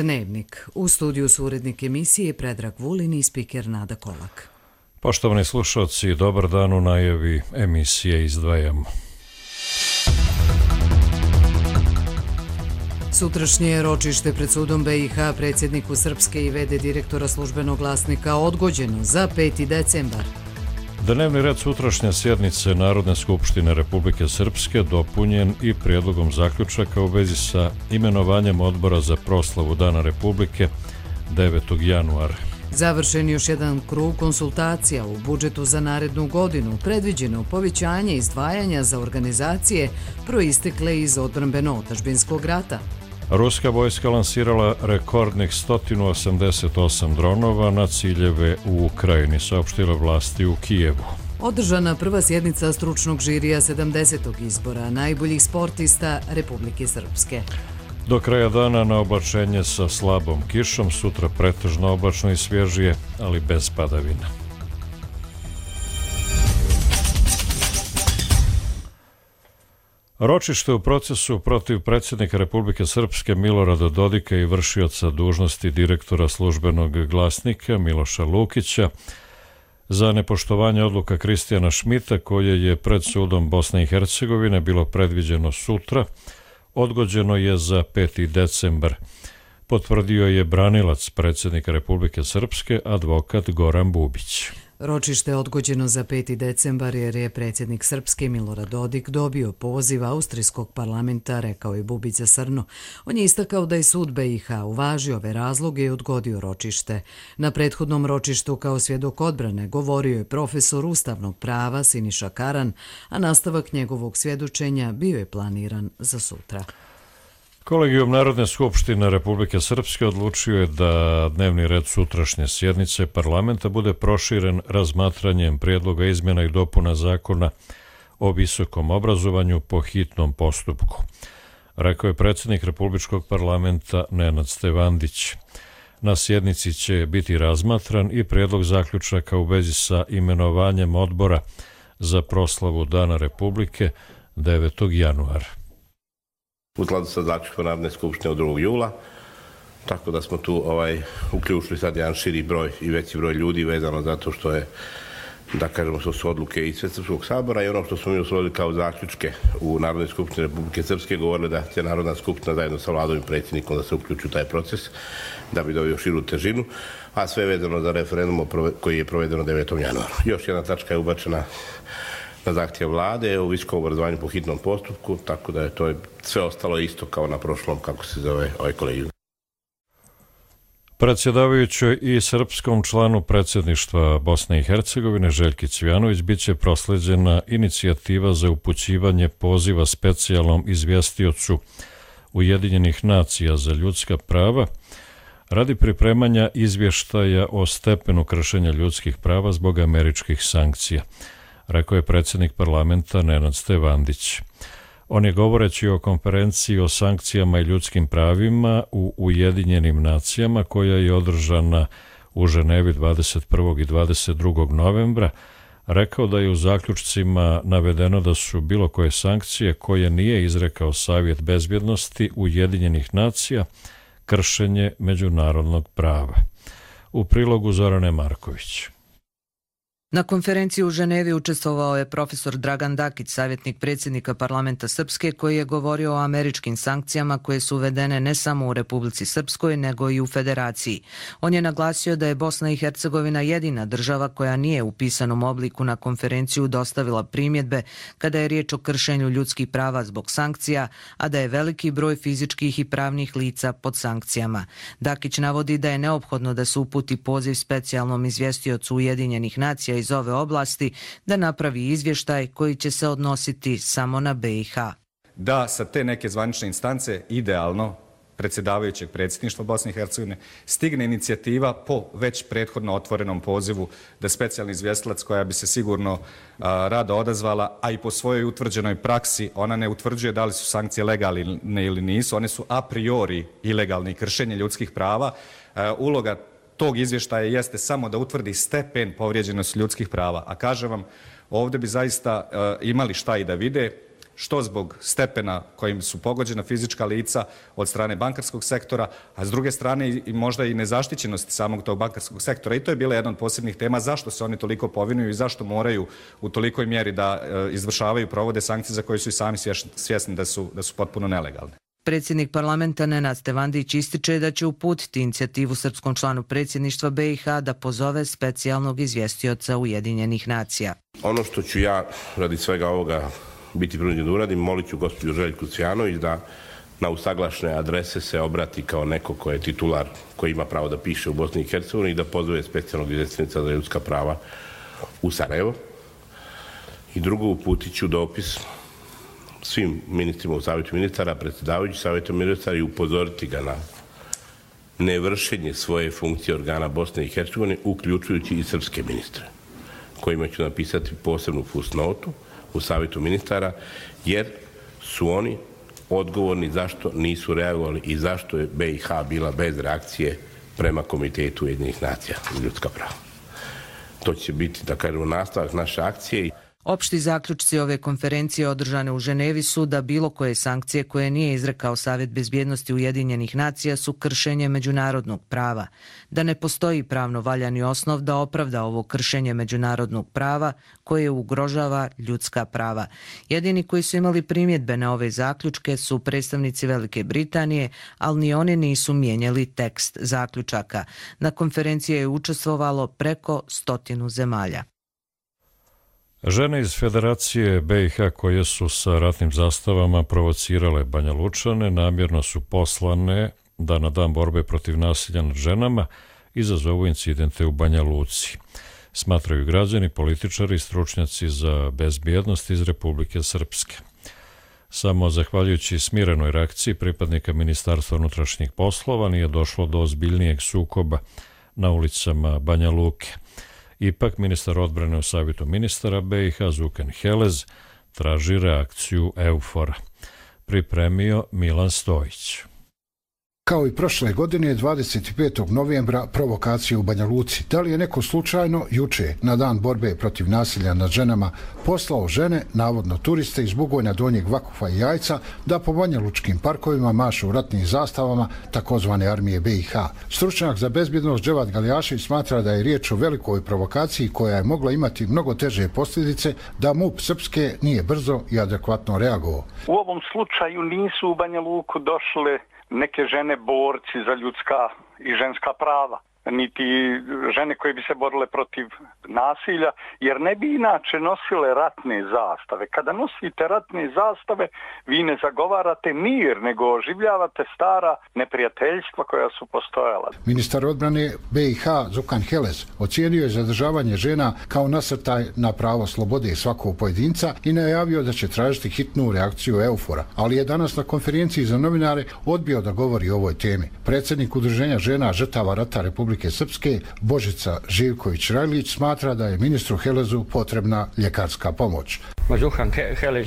Dnevnik. U studiju su urednik emisije Predrag Vulin i spiker Nada Kolak. Poštovani slušalci, dobar dan. U najavi emisije izdvajamo. Sutrašnje ročište pred sudom BiH predsjedniku Srpske i v.d. direktora Službenog glasnika odgođeno za 5. decembar. Dnevni red sutrašnje sjednice Narodne skupštine Republike Srpske dopunjen i prijedlogom zaključaka u vezi sa imenovanjem odbora za proslavu Dana Republike 9. januara. Završen još jedan krug konsultacija u budžetu za narednu godinu, predviđeno povećanje izdvajanja za organizacije proistekle iz odbrambeno-otadžbinskog rata. Ruska vojska lansirala rekordnih 188 dronova na ciljeve u Ukrajini, saopštile vlasti u Kijevu. Održana prva sjednica stručnog žirija 70. izbora najboljih sportista Republike Srpske. Do kraja dana na oblačenje sa slabom kišom, sutra pretežno oblačno i svježije, ali bez padavina. Ročište u procesu protiv predsjednika Republike Srpske Milorada Dodika i vršioca dužnosti direktora Službenog glasnika Miloša Lukića za nepoštovanje odluka Kristijana Šmita, koje je pred sudom Bosne i Hercegovine bilo predviđeno sutra, odgođeno je za 5. decembar. Potvrdio je branilac predsjednika Republike Srpske, advokat Goran Bubić. Ročište je odgođeno za 5. decembar jer je predsjednik Srpske Milorad Dodik dobio poziv austrijskog parlamenta, rekao je Bubić za Srno. On je istakao da je sud BiH uvažio ove razloge i odgodio ročište. Na prethodnom ročištu kao svjedok odbrane govorio je profesor ustavnog prava Siniša Karan, a nastavak njegovog svjedočenja bio je planiran za sutra. Kolegijum Narodne skupštine Republike Srpske odlučio je da dnevni red sutrašnje sjednice parlamenta bude proširen razmatranjem prijedloga izmjena i dopuna zakona o visokom obrazovanju po hitnom postupku, rekao je predsjednik Republičkog parlamenta Nenad Stevandić. Na sjednici će biti razmatran i prijedlog zaključaka u vezi sa imenovanjem odbora za proslavu Dana Republike 9. januara. U skladu sa zaključkom Narodne skupštine od 2. jula, tako da smo tu uključili sad jedan širi broj i veći broj ljudi vezano zato što je, da kažemo, što su odluke i Svesrpskog sabora i ono što smo mi usvojili kao zaključke u Narodnoj skupštini Republike Srpske, govorili da će Narodna skupština zajedno sa vladom i predsjednikom da se uključi u taj proces da bi dobio širu težinu, a sve vezano za referendum koji je provedeno 9. januara. Još jedna tačka je ubačena na zahtjev vlade u visokom obrazovanju po hitnom postupku, tako da je to sve ostalo isto kao na prošlom, kako se zove ovaj kolegijum. Predsjedavajućoj i srpskom članu predsjedništva Bosne i Hercegovine Željki Cvijanović biće proslijeđena inicijativa za upućivanje poziva specijalnom izvjestiocu Ujedinjenih nacija za ljudska prava radi pripremanja izvještaja o stepenu kršenja ljudskih prava zbog američkih sankcija, rekao je predsjednik parlamenta Nenad Stevandić. On je, govoreći o konferenciji o sankcijama i ljudskim pravima u Ujedinjenim nacijama koja je održana u Ženevi 21. i 22. novembra, rekao da je u zaključcima navedeno da su bilo koje sankcije koje nije izrekao Savjet bezbjednosti Ujedinjenih nacija kršenje međunarodnog prava. U prilogu Zorane Marković. Na konferenciji u Ženevi učestvovao je profesor Dragan Dakić, savjetnik predsjednika parlamenta Srpske, koji je govorio o američkim sankcijama koje su uvedene ne samo u Republici Srpskoj, nego i u Federaciji. On je naglasio da je Bosna i Hercegovina jedina država koja nije u pisanom obliku na konferenciju dostavila primjedbe kada je riječ o kršenju ljudskih prava zbog sankcija, a da je veliki broj fizičkih i pravnih lica pod sankcijama. Dakić navodi da je neophodno da se uputi poziv specijalnom izvjestiocu Ujedinjenih nacija iz ove oblasti da napravi izvještaj koji će se odnositi samo na BiH. Da sa te neke zvanične instance, idealno predsjedavajućeg predsjedništva Bosne i Hercegovine, stigne inicijativa po već prethodno otvorenom pozivu da specijalni izvjestilac, koja bi se sigurno rado odazvala, a i po svojoj utvrđenoj praksi, ona ne utvrđuje da li su sankcije legalne ili nisu, one su a priori ilegalne i kršenje ljudskih prava. Uloga tog izvještaja jeste samo da utvrdi stepen povrijeđenosti ljudskih prava. A kažem vam, ovdje bi zaista imali šta i da vide što zbog stepena kojim su pogođena fizička lica od strane bankarskog sektora, a s druge strane i možda i nezaštićenosti samog tog bankarskog sektora. I to je bila jedna od posebnih tema zašto se oni toliko povinuju i zašto moraju u tolikoj mjeri da izvršavaju, provode sankcije za koje su i sami svjesni da su potpuno nelegalne. Predsjednik parlamenta Nenad Stevandić ističe da će uputiti inicijativu srpskom članu predsjedništva BiH da pozove specijalnog izvjestioca Ujedinjenih nacija. Ono što ću ja radi svega ovoga biti prinuđen da uradim, molit ću gospođu Željku Cvijanović da na usaglašene adrese se obrati kao neko ko je titular, koji ima pravo da piše u Bosni i Hercegovini i da pozove specijalnog izvjestioca za ljudska prava u Sarajevo. I drugo, uputit ću dopis svim ministrima u Savjetu ministara, predsjedavajući Savjetom ministara i upozoriti ga na nevršenje svoje funkcije organa Bosne i Hercegovine, uključujući i srpske ministre, kojima ću napisati posebnu fusnotu u Savjetu ministara, jer su oni odgovorni zašto nisu reagovali i zašto je BiH bila bez reakcije prema Komitetu Ujedinjenih nacija za ljudska prava. To će biti, da kažemo, nastavak naše akcije. Opšti zaključci ove konferencije održane u Ženevi su da bilo koje sankcije koje nije izrekao Savjet bezbjednosti Ujedinjenih nacija su kršenje međunarodnog prava, da ne postoji pravno valjani osnov da opravda ovo kršenje međunarodnog prava koje ugrožava ljudska prava. Jedini koji su imali primjedbe na ove zaključke su predstavnici Velike Britanije, ali ni oni nisu mijenjali tekst zaključaka. Na konferenciji je učestvovalo preko 100 zemalja. Žene iz Federacije BiH koje su sa ratnim zastavama provocirale Banja Lučane namjerno su poslane da na dan borbe protiv nasilja nad ženama izazovu incidente u Banja Luci. Smatraju građani, političari i stručnjaci za bezbjednost iz Republike Srpske. Samo zahvaljujući smirenoj reakciji pripadnika Ministarstva unutrašnjih poslova nije došlo do ozbiljnijeg sukoba na ulicama Banja Luke. Ipak, ministar odbrane u Savjetu ministara BiH Zukan Helez traži reakciju EUFOR-a. Pripremio Milan Stojić. Kao i prošle godine, 25. novembra provokacije u Banja Luci. Da li je neko slučajno juče, na dan borbe protiv nasilja nad ženama, poslao žene, navodno turiste iz Bugojna, Donjeg Vakufa i Jajca, da po Banja Lučkim parkovima mašu ratnim zastavama takozvane armije BiH. Stručnjak za bezbjednost Dževad Galijašević smatra da je riječ o velikoj provokaciji koja je mogla imati mnogo teže posljedice da MUP Srpske nije brzo i adekvatno reagovao. U ovom slučaju nisu u Banja Luku došle neke žene borci za ljudska i ženska prava, niti žene koje bi se borile protiv nasilja, jer ne bi inače nosile ratne zastave. Kada nosite ratne zastave, vi ne zagovarate mir, nego oživljavate stara neprijateljstva koja su postojala. Ministar odbrane BiH Zukan Helez ocijenio je zadržavanje žena kao nasrtaj na pravo slobode svakog pojedinca i najavio da će tražiti hitnu reakciju EUFOR-a, ali je danas na konferenciji za novinare odbio da govori o ovoj temi. Predsjednik Udruženja žena žrtava rata Republike Srpske Božica Živković-Rajlić smatra da je ministru Helezu potrebna ljekarska pomoć. Zukan Helez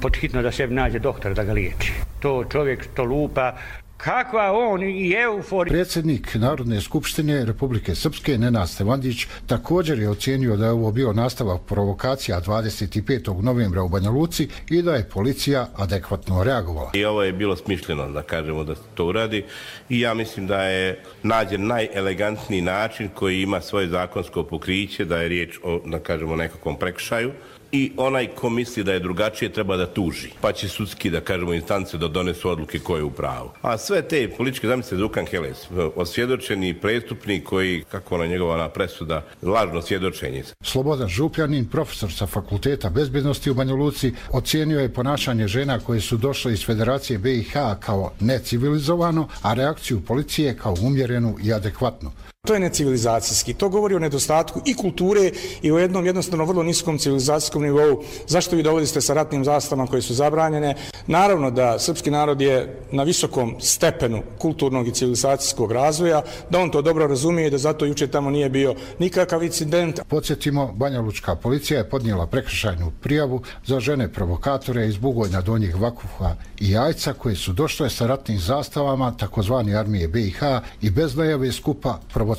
podhitno da sebi nađe doktor da ga liječi. To čovjek to lupa. Kakva on i EUFOR. Predsjednik Narodne skupštine Republike Srpske Nenad Stevandić također je ocijenio da je ovo bio nastavak provokacija 25. novembra u Banja Luci i da je policija adekvatno reagovala. I ovo je bilo smišljeno, da kažemo, da se to uradi i ja mislim da je nađen najelegantniji način koji ima svoje zakonsko pokriće, da je riječ o, da kažemo, nekakvom prekršaju. I onaj ko misli da je drugačije treba da tuži. Pa će sudski, da kažemo, instance da donesu odluke ko je u pravu. A sve te političke zamisle Zukan Helez, osvjedočeni prestupnik koji, kako ona njegova presuda, lažno svjedočenje. Slobodan Župljanin, profesor sa Fakulteta bezbjednosti u Banja Luci, ocijenio je ponašanje žena koje su došle iz Federacije BiH kao necivilizovano, a reakciju policije kao umjerenu i adekvatnu. To je necivilizacijski. To govori o nedostatku i kulture i o jednom jednostavno vrlo niskom civilizacijskom nivou. Zašto vi dovodite sa ratnim zastavama koje su zabranjene? Naravno da srpski narod je na visokom stepenu kulturnog i civilizacijskog razvoja, da on to dobro razumije i da zato juče tamo nije bio nikakav incident. Podsjetimo, Banja Lučka policija je podnijela prekršajnu prijavu za žene provokatore iz Bugojna, Donjeg Vakufa i Jajca koje su došle sa ratnim zastavama takozvani armije BiH i bez najave skupa provocirale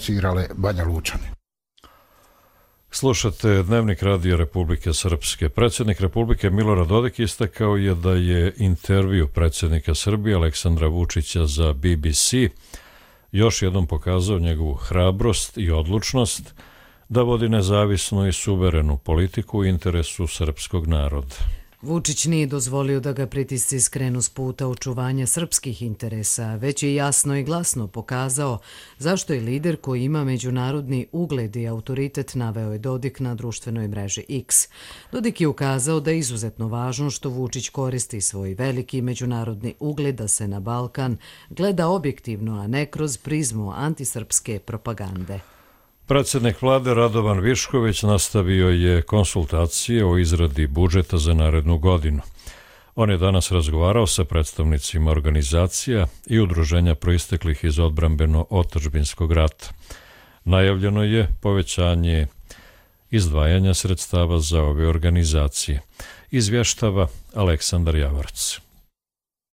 Banja Lučane. Slušate Dnevnik Radio Republike Srpske. Predsjednik Republike Milorad Dodik istakao je da je intervju predsjednika Srbije Aleksandra Vučića za BBC još jednom pokazao njegovu hrabrost i odlučnost da vodi nezavisnu i suverenu politiku u interesu srpskog naroda. Vučić nije dozvolio da ga pritisci skrenu s puta očuvanja srpskih interesa, već je jasno i glasno pokazao zašto je lider koji ima međunarodni ugled i autoritet, naveo je Dodik na društvenoj mreži X. Dodik je ukazao da je izuzetno važno što Vučić koristi svoj veliki međunarodni ugled da se na Balkan gleda objektivno, a ne kroz prizmu antisrpske propagande. Predsjednik vlade Radovan Višković nastavio je konsultacije o izradi budžeta za narednu godinu. On je danas razgovarao sa predstavnicima organizacija i udruženja proisteklih iz odbrambeno-otadžbinskog rata. Najavljeno je povećanje izdvajanja sredstava za ove organizacije. Izvještava Aleksandar Javarac.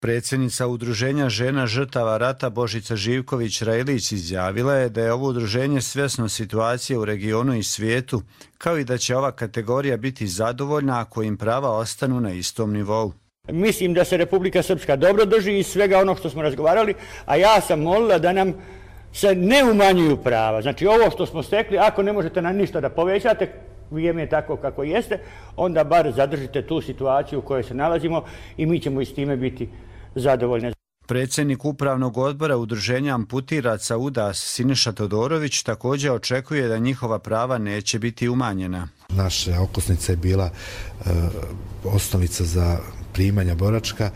Predsjednica Udruženja žena žrtava rata Božica Živković-Rajlić izjavila je da je ovo udruženje svjesno situacije u regionu i svijetu, kao i da će ova kategorija biti zadovoljna ako im prava ostanu na istom nivou. Mislim da se Republika Srpska dobro drži iz svega onog što smo razgovarali, a ja sam molila da nam se ne umanjuju prava. Znači ovo što smo stekli, ako ne možete nam ništa da povećate, vrijeme je tako kako jeste, onda bar zadržite tu situaciju u kojoj se nalazimo i mi ćemo i s time biti zadovoljni. Predsjednik upravnog odbora udruženja amputiraca UDAS Siniša Todorović također očekuje da njihova prava neće biti umanjena. Naša okosnica je bila osnovica za primanja boračka,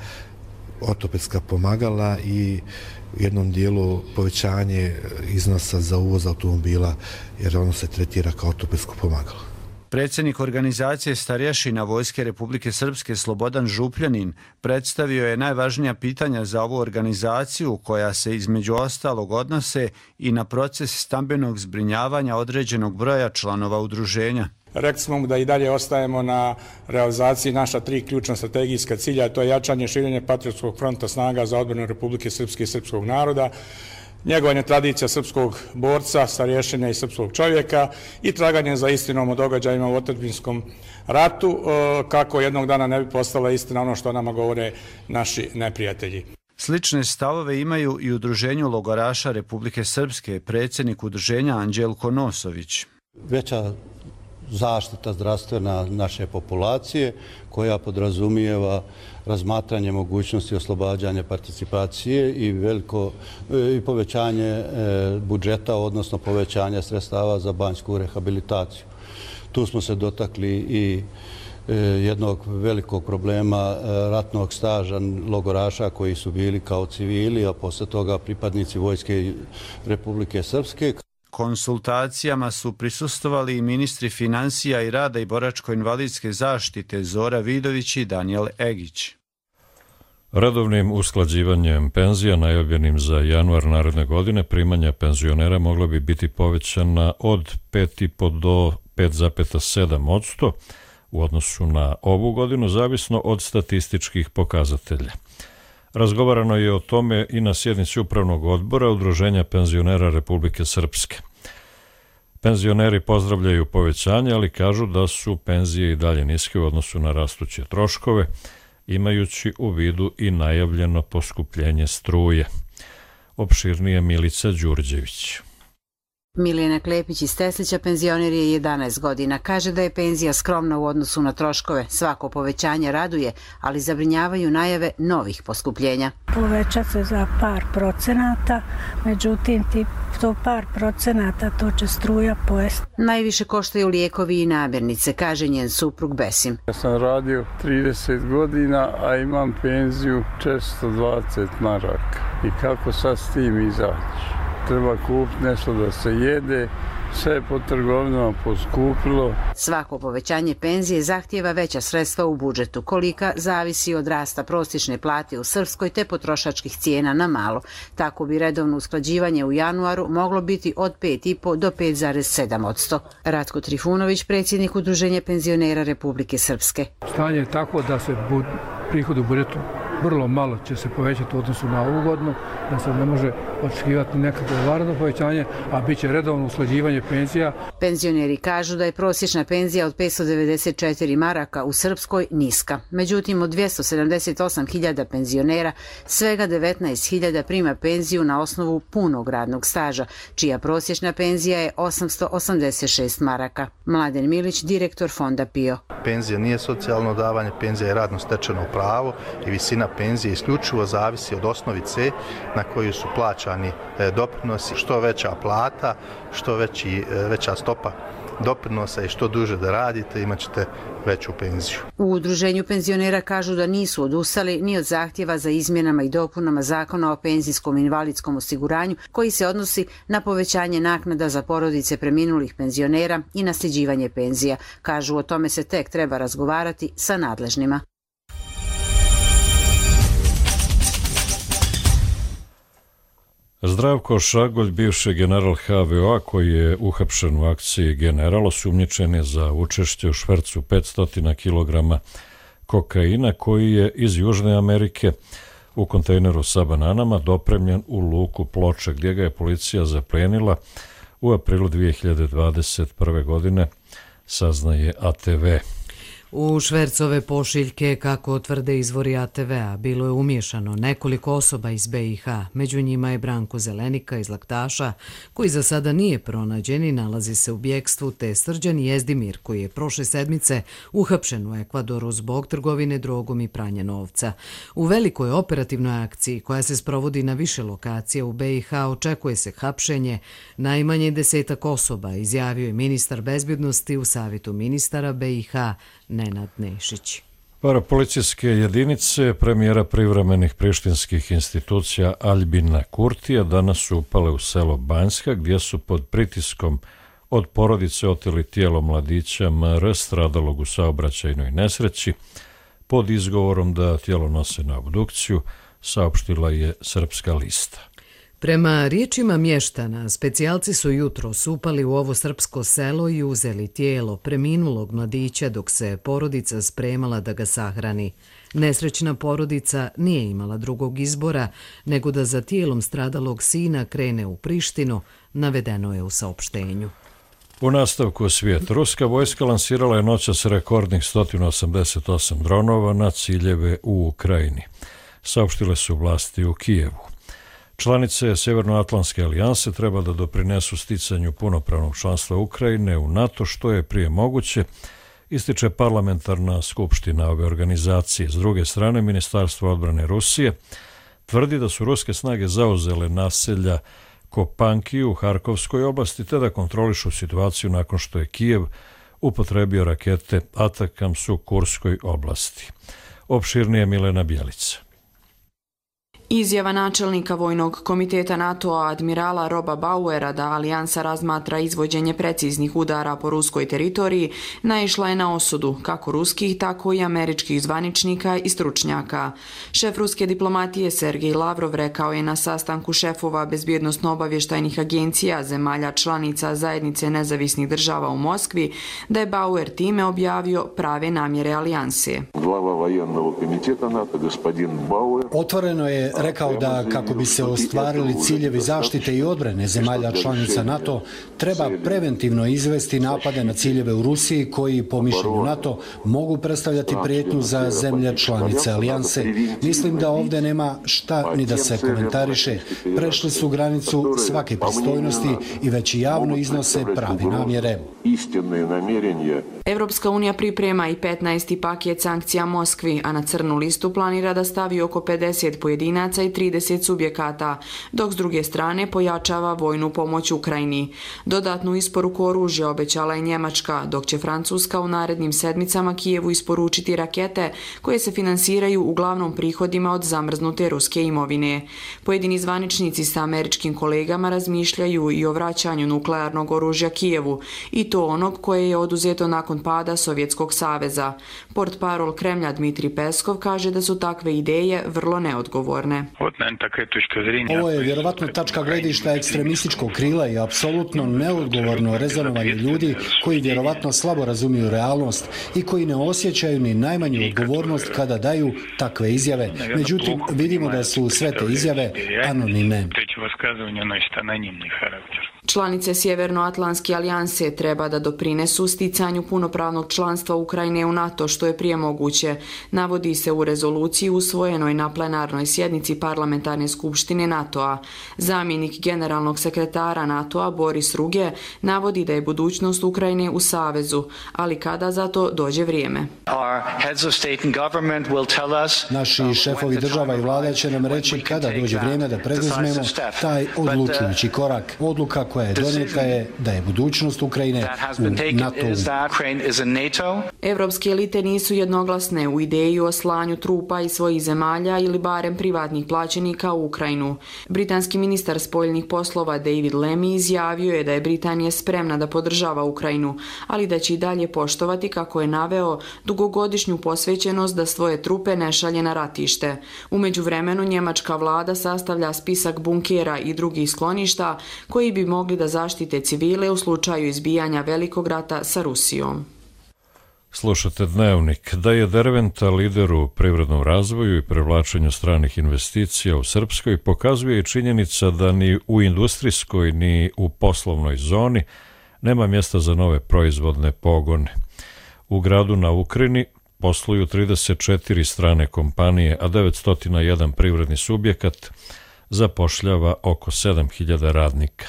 ortopedska pomagala i u jednom dijelu povećanje iznosa za uvoz automobila jer ono se tretira kao ortopedsko pomagalo. Predsjednik organizacije starješina Vojske Republike Srpske Slobodan Župljanin predstavio je najvažnija pitanja za ovu organizaciju koja se između ostalog odnose i na proces stambenog zbrinjavanja određenog broja članova udruženja. Rekli smo mu da i dalje ostajemo na realizaciji naša 3 ključna strategijska cilja, to je jačanje širenje patriotskog fronta snaga za odbranu Republike Srpske i srpskog naroda, njegovanje tradicija srpskog borca, starješine i srpskog čovjeka i traganje za istinom o događajima u otadžbinskom ratu, kako jednog dana ne bi postala istina ono što nama govore naši neprijatelji. Slične stavove imaju i udruženju logoraša Republike Srpske, predsjednik udruženja Anđelko Nosović. Veća zaštita zdravstvena naše populacije koja podrazumijeva razmatranje mogućnosti oslobađanja participacije i povećanje budžeta, odnosno povećanje sredstava za banjsku rehabilitaciju. Tu smo se dotakli i jednog velikog problema ratnog staža logoraša koji su bili kao civili, a posle toga pripadnici Vojske Republike Srpske. Konsultacijama su prisustvovali i ministri financija i rada i boračko-invalidske zaštite Zora Vidović i Danijel Egić. Redovnim usklađivanjem penzija najavljenim za januar naredne godine primanja penzionera mogla bi biti povećana od 5,5 do 5,7% u odnosu na ovu godinu, zavisno od statističkih pokazatelja. Razgovarano je o tome i na sjednici Upravnog odbora Udruženja penzionera Republike Srpske. Penzioneri pozdravljaju povećanje, ali kažu da su penzije i dalje niske u odnosu na rastuće troškove, imajući u vidu i najavljeno poskupljenje struje. Opširnije Milica Đurđević. Milijana Klepić iz Teslića penzioner je 11 godina. Kaže da je penzija skromna u odnosu na troškove. Svako povećanje raduje, ali zabrinjavaju najave novih poskupljenja. Poveća se za par procenata, međutim to par procenata to će struja pojesti. Najviše koštaju lijekovi i namirnice, kaže njen suprug Besim. Ja sam radio 30 godina, a imam penziju 420 maraka. I kako sad s tim izaći? Treba kupiti nešto da se jede, sve je po trgovinama poskupilo. Svako povećanje penzije zahtijeva veća sredstva u budžetu, kolika zavisi od rasta prosječne plate u Srpskoj te potrošačkih cijena na malo. Tako bi redovno usklađivanje u januaru moglo biti od 5,5 do 5,7%. Ratko Trifunović, predsjednik Udruženja penzionera Republike Srpske. Stanje je tako da se prihod u budžetu vrlo malo će se povećati u odnosu na ovu godinu, da se ne može očekivati nekakvo vanredno povećanje, a bit će redovno usklađivanje penzija. Penzioneri kažu da je prosječna penzija od 594 maraka u Srpskoj niska. Međutim, od 278.000 penzionera svega 19.000 prima penziju na osnovu punog radnog staža, čija prosječna penzija je 886 maraka. Mladen Milić, direktor fonda PIO. Penzija nije socijalno davanje, penzija je radno stečeno pravo i visina penzije isključivo zavisi od osnovice na koju su plaćani doprinosi. Što veća plata, što veća stopa doprinosa i što duže da radite, imat ćete veću penziju. U udruženju penzionera kažu da nisu odustali ni od zahtjeva za izmjenama i dopunama Zakona o penzijskom i invalidskom osiguranju, koji se odnosi na povećanje naknada za porodice preminulih penzionera i nasljeđivanje penzija. Kažu, o tome se tek treba razgovarati sa nadležnima. Zdravko Šagolj, bivši general HVO-a koji je uhapšen u akciji General, osumnjičen je za učešće u švercu 500 kg kokaina koji je iz Južne Amerike u kontejneru sa bananama dopremljen u luku Ploče, gdje ga je policija zaplenila u aprilu 2021. godine, saznaje ATV. U švercove pošiljke, kako tvrde izvori ATV-a, bilo je umiješano nekoliko osoba iz BiH. Među njima je Branko Zelenika iz Laktaša, koji za sada nije pronađen i nalazi se u bjekstvu, te Srđan Jezdimir, koji je prošle sedmice uhapšen u Ekvadoru zbog trgovine drogom i pranja novca. U velikoj operativnoj akciji, koja se sprovodi na više lokacija u BiH, očekuje se hapšenje najmanje 10 osoba, izjavio je ministar bezbjednosti u Savjetu ministara BiH Nenad Nešić. Parapolicijske jedinice premijera privremenih prištinskih institucija Aljbina Kurtija danas su upale u selo Banjska, gdje su pod pritiskom od porodice oteli tijelo mladića MR stradalog u saobraćajnoj nesreći pod izgovorom da tijelo nose na obdukciju, saopštila je Srpska lista. Prema riječima mještana, specijalci su jutros upali u ovo srpsko selo i uzeli tijelo preminulog mladića dok se porodica spremala da ga sahrani. Nesrećna porodica nije imala drugog izbora nego da za tijelom stradalog sina krene u Prištinu, navedeno je u saopštenju. U nastavku svijet, ruska vojska lansirala je noćas rekordnih 188 dronova na ciljeve u Ukrajini, saopštile su vlasti u Kijevu. Članice Sjevernoatlantske alijanse treba da doprinesu sticanju punopravnog članstva Ukrajine u NATO što je prije moguće, ističe parlamentarna skupština ove organizacije. S druge strane, Ministarstvo odbrane Rusije tvrdi da su ruske snage zauzele naselja Kopankiju u Harkovskoj oblasti te da kontrolišu situaciju nakon što je Kijev upotrebio rakete Atakams u Kurskoj oblasti. Opširnije Milena Bjelica. Izjava načelnika Vojnog komiteta NATO-a admirala Roba Bauera da alijansa razmatra izvođenje preciznih udara po ruskoj teritoriji naišla je na osudu kako ruskih, tako i američkih zvaničnika i stručnjaka. Šef ruske diplomatije Sergej Lavrov rekao je na sastanku šefova bezbjednosno-obavještajnih agencija zemalja članica Zajednice nezavisnih država u Moskvi da je Bauer time objavio prave namjere alijanse. Otvoreno je rekao da kako bi se ostvarili ciljevi zaštite i odbrane zemalja članica NATO, treba preventivno izvesti napade na ciljeve u Rusiji koji, po mišljenju NATO, mogu predstavljati prijetnju za zemlje članice alijanse. Mislim da ovdje nema šta ni da se komentariše. Prešli su granicu svake pristojnosti i već javno iznose prave namjere. Evropska unija priprema i 15. paket sankcija Moskvi, a na crnu listu planira da stavi oko 50 pojedinaca i 30 subjekata, dok s druge strane pojačava vojnu pomoć Ukrajini. Dodatnu isporuku oružja obećala je Njemačka, dok će Francuska u narednim sedmicama Kijevu isporučiti rakete koje se finansiraju uglavnom prihodima od zamrznute ruske imovine. Pojedini zvaničnici sa američkim kolegama razmišljaju i o vraćanju nuklearnog oružja Kijevu, i to onog koje je oduzeto nakon pada Sovjetskog saveza. Portparol Kremlja Dmitrij Peskov kaže da su takve ideje vrlo neodgovorne. Ovo je vjerovatno tačka gledišta ekstremističkog krila i apsolutno neodgovorno rezonovanje ljudi koji vjerovatno slabo razumiju realnost i koji ne osjećaju ni najmanju odgovornost kada daju takve izjave. Međutim, vidimo da su sve te izjave anonimne. Znači, высказывание носит анонимный характер. Članice Sjevernoatlantske alijanse treba da doprinesu sticanju punopravnog članstva Ukrajine u NATO što je prije moguće, navodi se u rezoluciji usvojenoj na plenarnoj sjednici Parlamentarne skupštine NATO-a. Zamjenik generalnog sekretara NATO-a Boris Ruge navodi da je budućnost Ukrajine u savezu, ali kada za to dođe vrijeme. Naši šefovi država i vlada će nam reći kada dođe vrijeme da preduzmemo taj odlučujući korak. Odluka koja je donijeta je da je budućnost Ukrajine u NATO-u. Evropske elite nisu jednoglasne u ideji o slanju trupa iz svojih zemalja ili barem privatnih plaćenika u Ukrajinu. Britanski ministar spoljnih poslova David Lammy izjavio je da je Britanija spremna da podržava Ukrajinu, ali da će i dalje poštovati, kako je naveo, dugogodišnju posvećenost da svoje trupe ne šalje na ratište. U međuvremenu njemačka vlada sastavlja spisak bunkera i drugih skloništa koji bi mogli da zaštite civile u slučaju izbijanja velikog rata sa Rusijom. Slušate Dnevnik. Da je Derventa lider u privrednom razvoju i privlačenju stranih investicija u Srpskoj pokazuje i činjenica da ni u industrijskoj ni u poslovnoj zoni nema mjesta za nove proizvodne pogone. U gradu na Ukrini posluju 34 strane kompanije, a 901 privredni subjekat zapošljava oko 7000 radnika.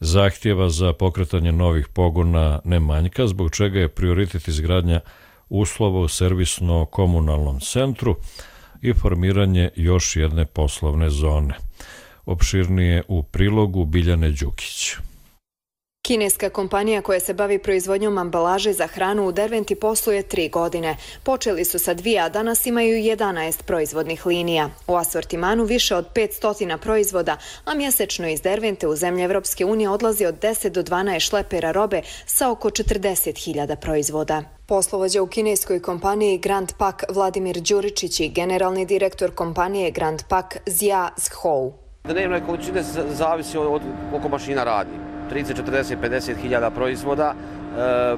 Zahtjeva za pokretanje novih pogona ne manjka, zbog čega je prioritet izgradnja uslova u servisno-komunalnom centru i formiranje još jedne poslovne zone. Opširnije u prilogu Biljane Đukić. Kineska kompanija koja se bavi proizvodnjom ambalaže za hranu u Derventi posluje 3 godine. Počeli su sa 2, a danas imaju 11 proizvodnih linija. U asortimanu više od 500 proizvoda, a mjesečno iz Dervente u zemlje Evropske unije odlazi od 10 do 12 šlepera robe sa oko 40.000 proizvoda. Poslovođa u kineskoj kompaniji Grand Pak Vladimir Đuričić i generalni direktor kompanije Grand Pak Zia Zhou. Dnevne količine zavisi od koliko mašina radi. 30, 40, 50.000 proizvoda,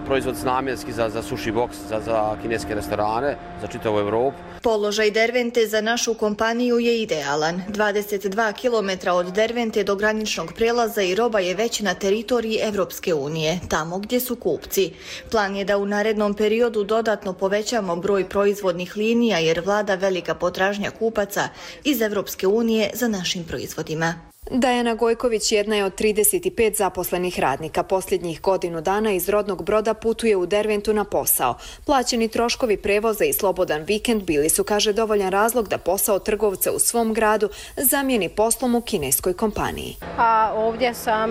proizvod namjenski za sushi box, za kineske restorane, za čitavu Evropu. Položaj Dervente za našu kompaniju je idealan. 22 km od Dervente do graničnog prelaza i roba je već na teritoriji Evropske unije, tamo gdje su kupci. Plan je da u narednom periodu dodatno povećamo broj proizvodnih linija jer vlada velika potražnja kupaca iz Evropske unije za našim proizvodima. Dajana Gojković jedna je od 35 zaposlenih radnika. Posljednjih godinu dana iz rodnog Broda putuje u Derventu na posao. Plaćeni troškovi prevoza i slobodan vikend bili su, kaže, dovoljan razlog da posao trgovca u svom gradu zamijeni poslom u kineskoj kompaniji. A ovdje sam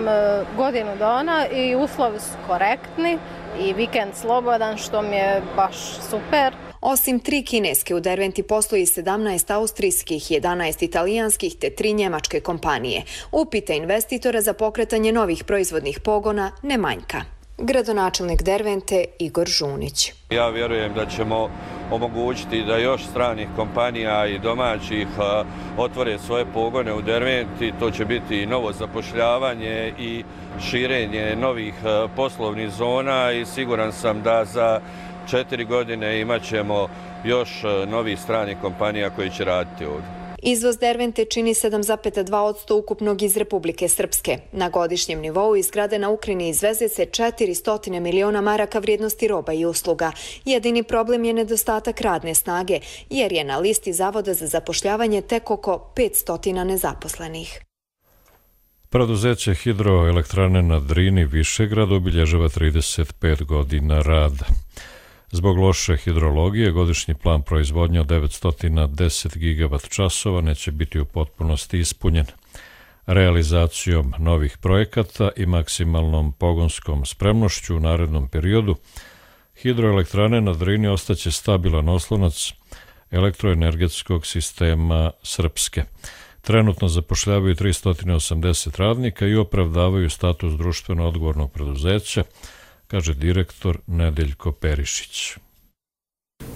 godinu dana i uslovi su korektni i vikend slobodan, što mi je baš super. Osim 3 kineske, u Derventi posluje 17 austrijskih, 11 italijanskih te 3 njemačke kompanije. Upita investitora za pokretanje novih proizvodnih pogona ne manjka. Gradonačelnik Dervente Igor Žunić. Ja vjerujem da ćemo omogućiti da još stranih kompanija i domaćih otvore svoje pogone u Derventi. To će biti i novo zapošljavanje i širenje novih poslovnih zona i siguran sam da za 4 godine imat ćemo još novih stranih kompanija koji će raditi ovdje. Izvoz Dervente čini 7,2% ukupnog iz Republike Srpske. Na godišnjem nivou iz grada na Ukrini izveze se 400 miliona maraka vrijednosti roba i usluga. Jedini problem je nedostatak radne snage, jer je na listi Zavoda za zapošljavanje tek oko 500 nezaposlenih. Preduzeće hidroelektrane na Drini Višegrad obilježava 35 godina rada. Zbog loše hidrologije, godišnji plan proizvodnje od 910 gigavat časova neće biti u potpunosti ispunjen. Realizacijom novih projekata i maksimalnom pogonskom spremnošću u narednom periodu, hidroelektrane na Drini ostaće stabilan oslonac elektroenergetskog sistema Srpske. Trenutno zapošljavaju 380 radnika i opravdavaju status društveno odgovornog preduzeća, kaže direktor Nedeljko Perišić.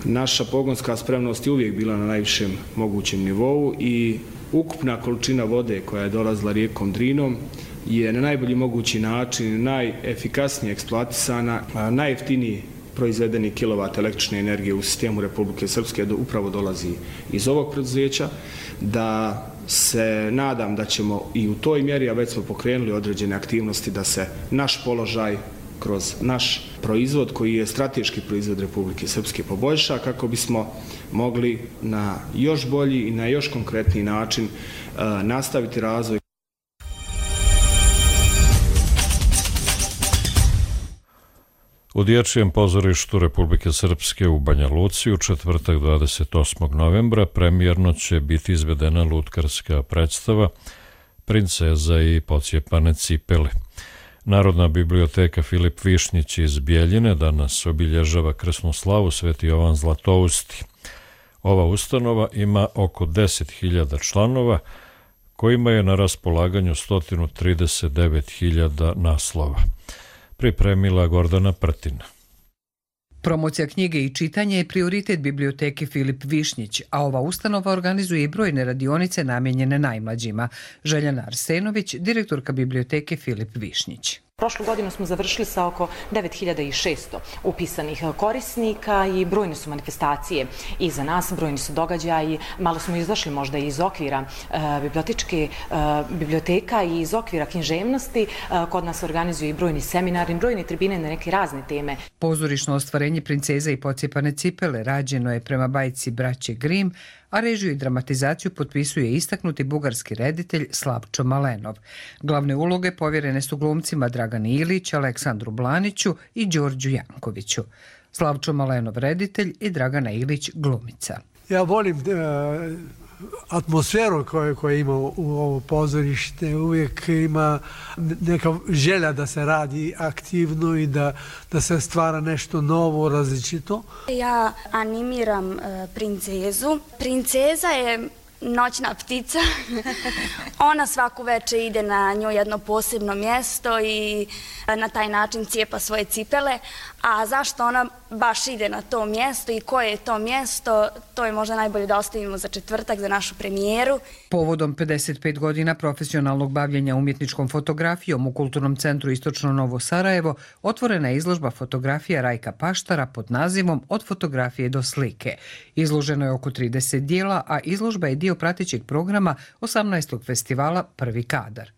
Naša pogonska spremnost je uvijek bila na najvišem mogućem nivou i ukupna količina vode koja je dolazila rijekom Drinom je na najbolji mogući način, najefikasnije eksploatisana, najjeftiniji proizvedeni kilovat električne energije u sistemu Republike Srpske upravo dolazi iz ovog preduzeća, da se nadam da ćemo i u toj mjeri, a već smo pokrenuli određene aktivnosti da se naš položaj kroz naš proizvod, koji je strateški proizvod Republike Srpske, poboljša kako bismo mogli na još bolji i na još konkretniji način nastaviti razvoj. U Dječjem pozorištu Republike Srpske u Banja Luci u četvrtak 28. novembra premijerno će biti izvedena lutkarska predstava Princeza i pocijepane cipele. Narodna biblioteka Filip Višnjić iz Bjeljine danas obilježava krsnu slavu Sveti Jovan Zlatousti. Ova ustanova ima oko 10.000 članova, kojima je na raspolaganju 139.000 naslova. Pripremila Gordana Prtina. Promocija knjige i čitanje je prioritet biblioteke Filip Višnjić, a ova ustanova organizuje i brojne radionice namijenjene najmlađima. Željana Arsenović, direktorka biblioteke Filip Višnjić. Prošlu godinu smo završili sa oko 9600 upisanih korisnika i brojne su manifestacije i za nas, brojni su događaji. Malo smo izašli možda iz okvira biblioteka i iz okvira književnosti. Kod nas organizuju i brojni seminari, brojne tribine na neke razne teme. Pozorišno ostvarenje Princeza i pocijepane cipele rađeno je prema bajci braće Grimm, a režiju i dramatizaciju potpisuje istaknuti bugarski reditelj Slavčo Malenov. Glavne uloge povjerene su glumcima Dragani Ilić, Aleksandru Blaniću i Đorđu Jankoviću. Slavčo Malenov reditelj i Dragana Ilić glumica. Ja volim atmosferu koju ima u ovo pozorište. Uvijek ima neka želja da se radi aktivno i da se stvara nešto novo, različito. Ja animiram Princezu. Princeza je noćna ptica. Ona svaku večer ide na nju jedno posebno mjesto i na taj način cijepa svoje cipele. A zašto ona baš ide na to mjesto i koje je to mjesto, to je možda najbolje da ostavimo za četvrtak, za našu premijeru. Povodom 55 godina profesionalnog bavljenja umjetničkom fotografijom u Kulturnom centru Istočno Novo Sarajevo otvorena je izložba fotografija Rajka Paštara pod nazivom Od fotografije do slike. Izloženo je oko 30 dijela, a izložba je dio pratećeg programa 18. festivala Prvi kadar.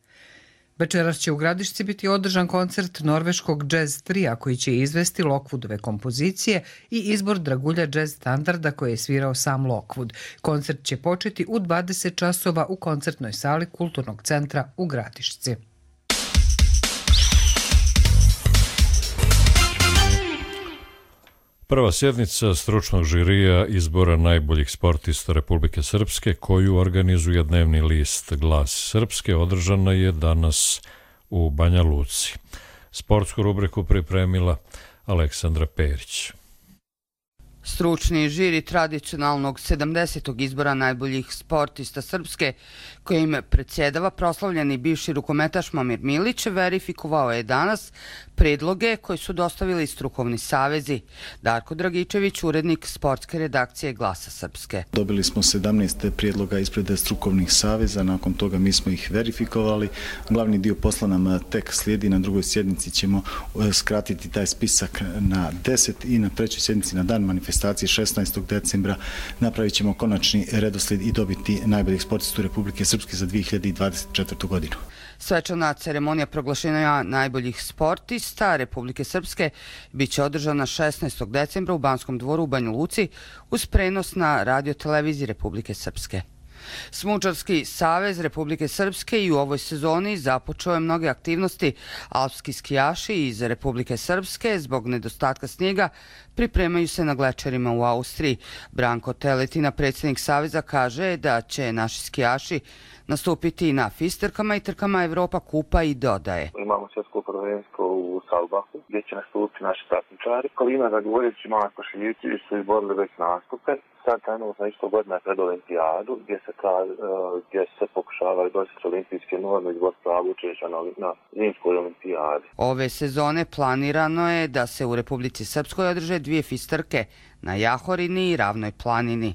Večeras će u Gradišci biti održan koncert norveškog jazz trija koji će izvesti Lockwoodove kompozicije i izbor dragulja jazz standarda koje je svirao sam Lockwood. Koncert će početi u 20 časova u koncertnoj sali Kulturnog centra u Gradišci. Prva sjednica stručnog žirija izbora najboljih sportista Republike Srpske, koju organizuje dnevni list Glas Srpske, održana je danas u Banja Luci. Sportsku rubriku pripremila Aleksandra Perić. Stručni žiri tradicionalnog 70. izbora najboljih sportista Srpske, kojim predsjedava proslavljeni bivši rukometaš Momir Milić, verifikovao je danas predloge koje su dostavili strukovni savezi. Darko Dragičević, urednik sportske redakcije Glasa Srpske. Dobili smo 17 prijedloga ispred strukovnih saveza, nakon toga mi smo ih verifikovali. Glavni dio posla nam tek slijedi, na drugoj sjednici ćemo skratiti taj spisak na 10 i na trećoj sjednici na dan manifestacije 16. decembra napravit ćemo konačni redoslijed i dobiti najboljih sportista Republike Srpske za 2024. godinu. Svečana ceremonija proglašenja najboljih sportista Republike Srpske biće održana 16. decembra u Banskom dvoru u Banju Luci uz prenos na radio-televiziji Republike Srpske. Smučarski savez Republike Srpske i u ovoj sezoni započeo je mnoge aktivnosti. Alpski skijaši iz Republike Srpske zbog nedostatka snijega pripremaju se na glečerima u Austriji. Branko Teletina, predsjednik saveza, kaže da će naši skijaši nastupiti na FIS trkama i trkama Evropa kupa i dodaje. Imamo svjetsko prvenstvo u Salbahu gdje će nastupiti naši takmičari. Kolina Zagovorjević i Marko Šiljić su izborili već nastupe. Sad trenutno isto godina pred olimpijadu gdje se pokušavaju doći olimpijske norme izbor pravo učešća na zimskoj olimpijadi. Ove sezone planirano je da se u Republici Srpskoj održe 2 FIS trke na Jahorini i Ravnoj planini.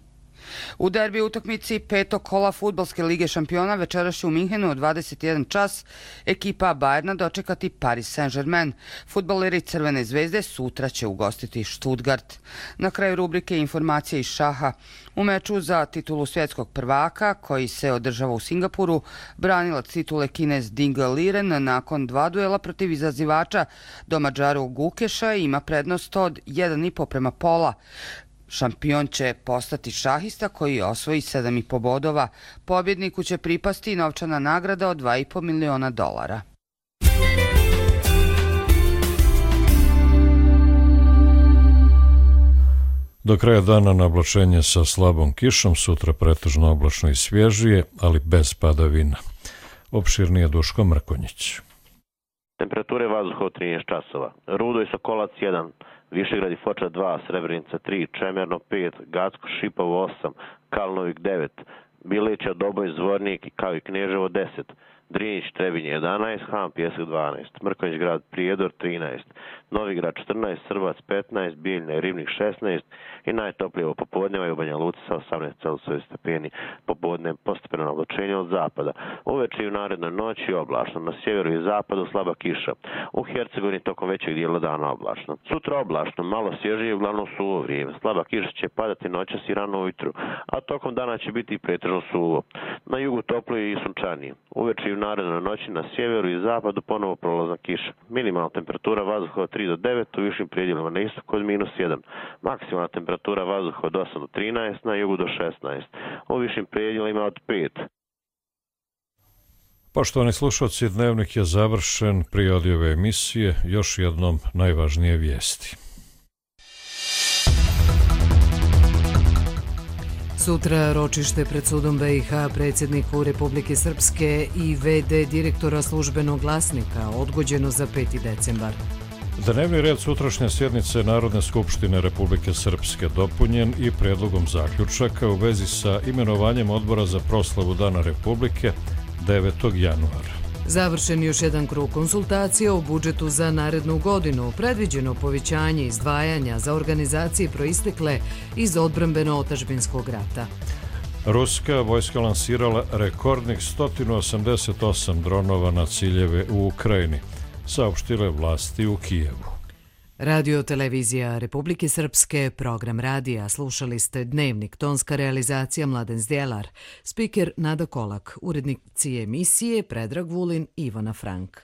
U derbi utakmici petog kola Fudbalske lige šampiona večeras će u Minhenu od 21 čas ekipa Bayerna dočekati Paris Saint-Germain. Fudbaleri Crvene zvezde sutra će ugostiti Stuttgart. Na kraju rubrike informacije iz šaha. U meču za titulu svjetskog prvaka, koji se održava u Singapuru, branilac titule Kinez Ding Liren nakon 2 duela protiv izazivača domađaru Gukeša ima prednost od 1,5 prema pola. Šampion će postati šahista koji osvoji 7,5 bodova. Pobjedniku će pripasti novčana nagrada od $2,5 miliona. Do kraja dana na oblačenje sa slabom kišom, sutra pretežno oblačno i svježije, ali bez padavina. Opširnije Duško Mrkonjić. Temperature vazduha od 13 časova. Rudo i Sokolac 1, Višegrad i Foča 2, Srebrenica 3, Čemerno 5, Gacko Šipovo 8, Kalnovik 9, Bileća, Doboj, Zvornik kao i Kneževo 10, Drinjić, Trebinje 11, Han Pjesak 12, Mrkonjić grad Prijedor 13, Novigrad 14, Srbac 15, Bijeljina i Ribnik 16 i najtoplije u popodneva i u Banja Luci sa 18 stepeni. Popodne postepeno oblačenje od zapada. Uveče i u narednoj noći oblačno. Na sjeveru i zapadu slaba kiša. U Hercegovini tokom većeg dijela dana oblačno. Sutra oblačno, malo svježije, uglavnom suvo vrijeme. Slaba kiša će padati noćas i rano ujutru, a tokom dana će biti pretežno suvo. Na jugu toplo i sunčanije. Uveče i u narednoj noći na sjeveru i zapadu ponovo prolazna kiša. Minimalna temperatura vazduha od 3 do 9, u višim predjelima na istoku od -1. Maksimalna temperatura vazduha od 8 do 13, na jugu do 16. U višim predjelima od 5. Poštovani slušalci, dnevnik je završen. Prije odjave emisije još jednom najvažnije vijesti. Sutra ročište pred sudom BiH predsjedniku Republike Srpske i VD direktora službenog glasnika odgođeno za 5. decembar. Dnevni red sutrašnje sjednice Narodne skupštine Republike Srpske dopunjen i predlogom zaključaka u vezi sa imenovanjem odbora za proslavu Dana Republike 9. januara. Završen još jedan krug konsultacija o budžetu za narednu godinu, predviđeno povećanje izdvajanja za organizacije proistekle iz odbrambeno-otadžbinskog rata. Ruska vojska lansirala rekordnih 188 dronova na ciljeve u Ukrajini, saopštile vlasti u Kijevu. Radio televizija Republike Srpske, program radija, slušali ste Dnevnik, tonska realizacija Mladen Zdjelar, spiker Nada Kolak, urednici emisije Predrag Vulin, Ivana Frank.